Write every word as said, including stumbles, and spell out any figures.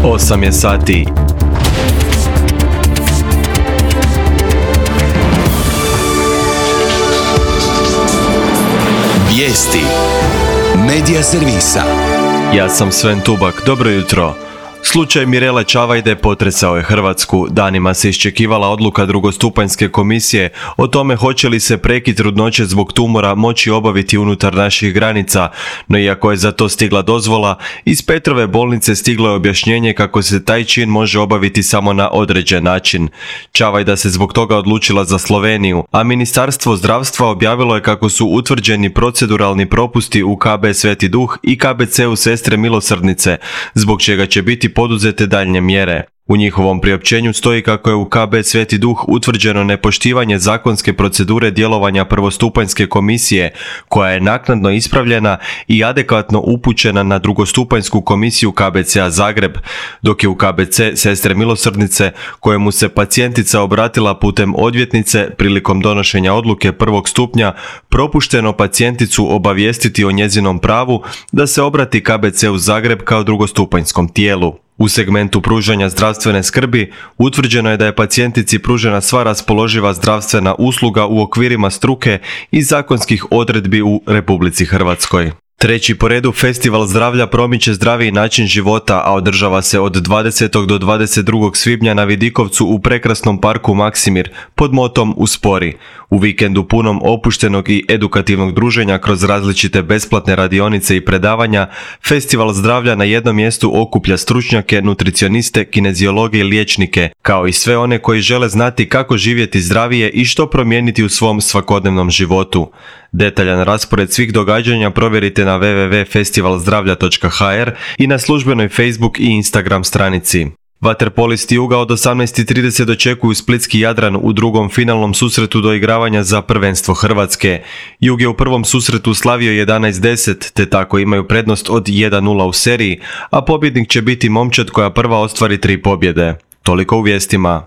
osam je sati. Vijesti Medija servisa. Ja sam Sven Tubak, dobro jutro. Slučaj Mirele Čavajde potresao je Hrvatsku. Danima se iščekivala odluka drugostupanjske komisije o tome hoće li se prekid trudnoće zbog tumora moći obaviti unutar naših granica, no iako je za to stigla dozvola, iz Petrove bolnice stiglo je objašnjenje kako se taj čin može obaviti samo na određen način. Čavajda se zbog toga odlučila za Sloveniju, a Ministarstvo zdravstva objavilo je kako su utvrđeni proceduralni propusti u K B Sveti Duh i K B C-u Sestre Milosrdnice, zbog čega će biti poduzete daljnje mjere. U njihovom priopćenju stoji kako je u K B Sveti Duh utvrđeno nepoštivanje zakonske procedure djelovanja prvostupanjske komisije, koja je naknadno ispravljena i adekvatno upućena na drugostupanjsku komisiju K B C-a Zagreb, dok je u K B C Sestre Milosrdnice, kojemu se pacijentica obratila putem odvjetnice prilikom donošenja odluke prvog stupnja, propušteno pacijenticu obavijestiti o njezinom pravu da se obrati K B C-u Zagreb kao drugostupanjskom tijelu. U segmentu pružanja zdravstvene skrbi utvrđeno je da je pacijentici pružena sva raspoloživa zdravstvena usluga u okvirima struke i zakonskih odredbi u Republici Hrvatskoj. Treći po redu Festival zdravlja promiče zdraviji način života, a održava se od dvadesetog do dvadeset drugog svibnja na Vidikovcu u prekrasnom parku Maksimir pod motom Uspori. U vikendu punom opuštenog i edukativnog druženja kroz različite besplatne radionice i predavanja, Festival zdravlja na jednom mjestu okuplja stručnjake, nutricioniste, kineziologe i liječnike, kao i sve one koji žele znati kako živjeti zdravije i što promijeniti u svom svakodnevnom životu. Detaljan raspored svih događanja provjerite na w w w točka festival zdravlja točka h r i na službenoj Facebook i Instagram stranici. Vaterpolisti Juga od osamnaest i trideset dočekuju splitski Jadran u drugom finalnom susretu doigravanja za prvenstvo Hrvatske. Jug je u prvom susretu slavio jedanaest deset, te tako imaju prednost od jedan nula u seriji, a pobjednik će biti momčad koja prva ostvari tri pobjede. Toliko u vijestima.